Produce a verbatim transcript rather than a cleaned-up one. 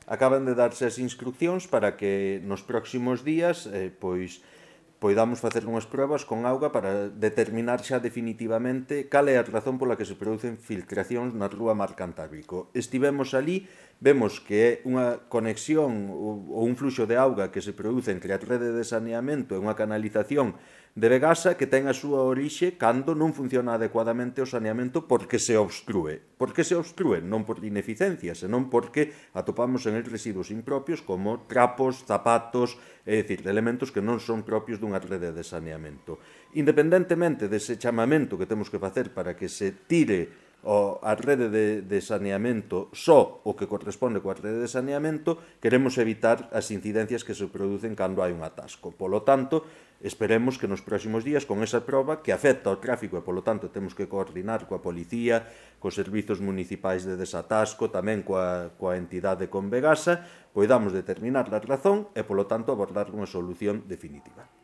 acaban de darse as instruccións para que nos próximos días eh, pois poidamos facer unhas probas con auga para determinar xa definitivamente cal é a razón pola que se producen filtracións na rúa Mar Cantábrico. Estivemos ali, vemos que é unha conexión ou un fluxo de auga que se produce entre a rede de saneamento e unha canalización de Vegasa que ten a súa orixe cando non funciona adecuadamente o saneamento porque se obstrúe. Por que se obstrúe? Non por ineficiencia, senón porque atopamos en el residuos impropios como trapos, zapatos, é dicir, elementos que non son propios dunha rede de saneamento. Independentemente dese chamamento que temos que facer para que se tire o, a rede de, de saneamento só o que corresponde coa rede de saneamento, queremos evitar as incidencias que se producen cando hai un atasco. Polo tanto, esperemos que nos próximos días, con esa proba que afecta ao tráfico e, polo tanto, temos que coordinar coa policía, cos servizos municipais de desatasco, tamén coa, coa entidade con Vegasa, poidamos determinar a razón e, polo tanto, abordar unha solución definitiva.